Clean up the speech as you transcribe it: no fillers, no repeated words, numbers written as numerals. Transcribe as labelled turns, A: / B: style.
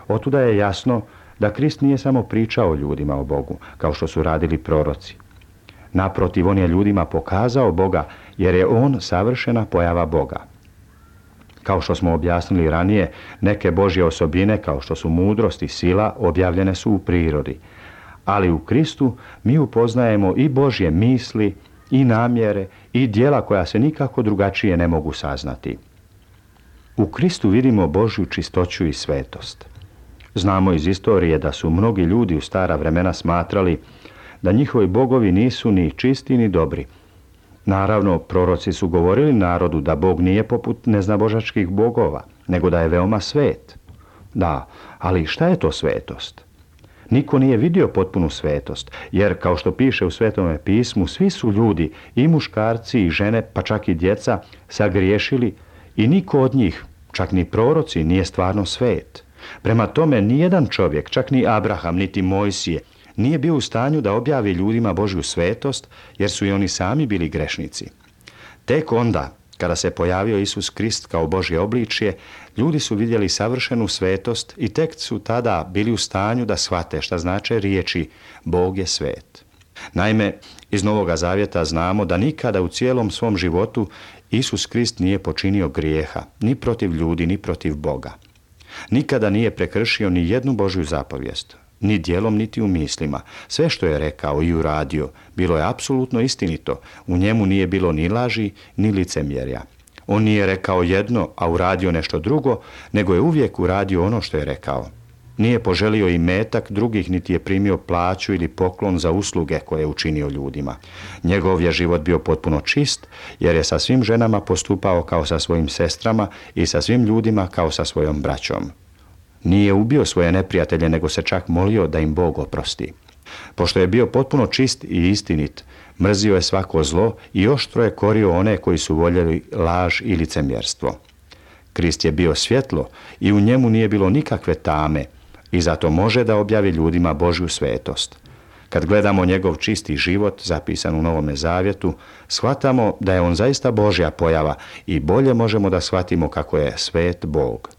A: Otuda je jasno da Krist nije samo pričao ljudima o Bogu, kao što su radili proroci. Naprotiv, on je ljudima pokazao Boga, jer je on savršena pojava Boga. Kao što smo objasnili ranije, neke Božje osobine, kao što su mudrost i sila, objavljene su u prirodi. Ali u Kristu mi upoznajemo i Božje misli, i namjere, i djela koja se nikako drugačije ne mogu saznati. U Kristu vidimo Božju čistoću i svetost. Znamo iz istorije da su mnogi ljudi u stara vremena smatrali da njihovi bogovi nisu ni čisti ni dobri. Naravno, proroci su govorili narodu da Bog nije poput neznabožačkih bogova, nego da je veoma svet. Da, ali šta je to svetost? Niko nije vidio potpunu svetost, jer kao što piše u Svetome pismu, svi su ljudi, i muškarci i žene, pa čak i djeca, sagriješili i niko od njih, čak ni proroci, nije stvarno svet. Prema tome, nijedan čovjek, čak ni Abraham, niti Mojsije, nije bio u stanju da objavi ljudima Božju svetost, jer su i oni sami bili grešnici. Tek onda, kada se pojavio Isus Krist kao Božje obličje, ljudi su vidjeli savršenu svetost i tek su tada bili u stanju da shvate šta znače riječi Bog je svet. Naime, iz Novoga Zavjeta znamo da nikada u cijelom svom životu Isus Krist nije počinio grijeha, ni protiv ljudi, ni protiv Boga. Nikada nije prekršio ni jednu Božju zapovijest, ni djelom, niti u mislima. Sve što je rekao i uradio, bilo je apsolutno istinito. U njemu nije bilo ni laži, ni licemjerja. On nije rekao jedno, a uradio nešto drugo, nego je uvijek uradio ono što je rekao. Nije poželio imetak drugih, niti je primio plaću ili poklon za usluge koje je učinio ljudima. Njegov je život bio potpuno čist, jer je sa svim ženama postupao kao sa svojim sestrama i sa svim ljudima kao sa svojom braćom. Nije ubio svoje neprijatelje, nego se čak molio da im Bog oprosti. Pošto je bio potpuno čist i istinit, mrzio je svako zlo i oštro je korio one koji su voljeli laž i licemjerstvo. Krist je bio svjetlo i u njemu nije bilo nikakve tame i zato može da objavi ljudima Božju svetost. Kad gledamo njegov čisti život, zapisan u Novome Zavjetu, shvatamo da je on zaista Božja pojava i bolje možemo da shvatimo kako je svet Bog.